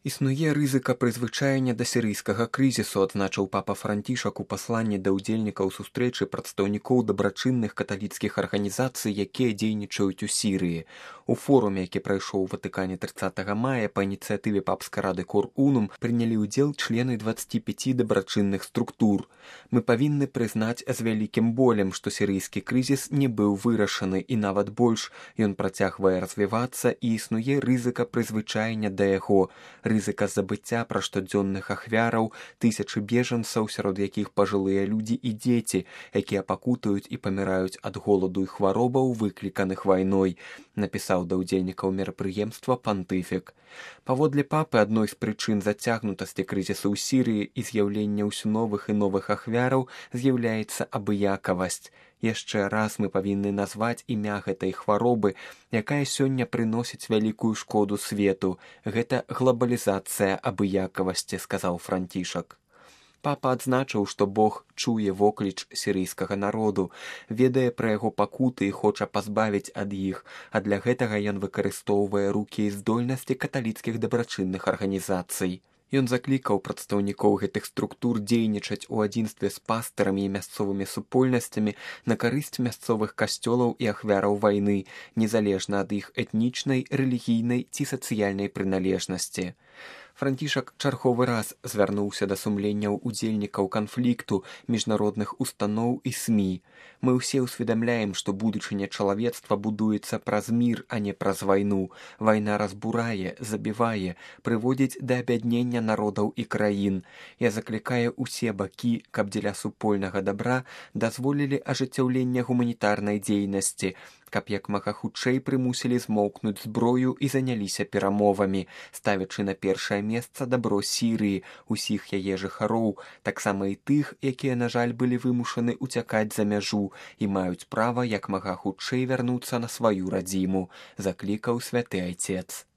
Існуе рызыка прызвычаення да сірыйскага крызісу, адзначыў папа Францішак у пасланні да ўдзельнікаў сустрэчы прадстаўнікоў дабрачынных каталіцкіх арганізацый, якія дзейнічаюць у Сірыі. У форуме, які прайшоў у Ватыкане 30 мая па ініцыятыве папскай рады Кор Унум, прынялі ўдзел члены 25 дабрачынных структур. Мы павінны прызнаць з вялікім болем, што сірыйскі крызіс не быў вырашаны, і нават больш, ён працягвае развівацца, і існуе рызыка прызвычаення да яго, рызыка забыцця пра штодзённых ахвяраў, тысячы бежанцаў, сярод якіх пажылыя людзі і дзеці, якія пакутаюць і паміраюць ад голаду і хваробаў, выкліканых вайной, напісаў да ўдзельнікаў мерапрыемства пантыфік. Паводле папы, адной з прычын зацягнутасці крызісу ў Сірыі і з'яўлення ўсё новых і новых ахвяраў з'яўляецца абыякавасць. Яшчэ раз мы павінны назваць імя гэтай хваробы, якая сёння прыносіць вялікую шкоду свету. Гэта глобалізацыя абыякавасці, сказаў Францішак. Папа адзначыў, што Бог чуе вокліч сірыйскага народу, ведае пра яго пакуты і хоча пазбавіць ад іх, а для гэтага ён выкарыстоўвае рукі і здольнасці каталіцкіх дабрачынных арганізацый. Ён заклікаў прадстаўнікоў гэтых структур дзейнічаць у адзінстве з пастарамі і мясцовымі супольнасцямі на карысць мясцовых касцёлаў і ахвяраў вайны, незалежна ад іх этнічнай, рэлігійнай ці сацыяльнай прыналежнасці. Францішак чарговы раз звярнуўся да сумленняў удзельнікаў канфлікту, міжнародных устаноў і СМІ. Мы ўсе ўсведамляем, што будучыня чалавецтва будуецца праз мір, а не праз вайну. Вайна разбурае, забівае, прыводзіць да абяднення народаў і краін. Я заклікаю ўсе бакі, каб дзеля супольнага дабра дазволілі ажыццяўлення гуманітарнай дзейнасці, каб як мага хутчэй прымусілі змоўкнуць зброю і заняліся перамовамі, ставячы на першае месца дабро Сірыі, усіх яе жыхароў, таксама і тых, якія, на жаль, былі вымушаны уцякаць за мяжу і маюць права як мага хутчэй вярнуцца на сваю радзіму, заклікаў святы айцец.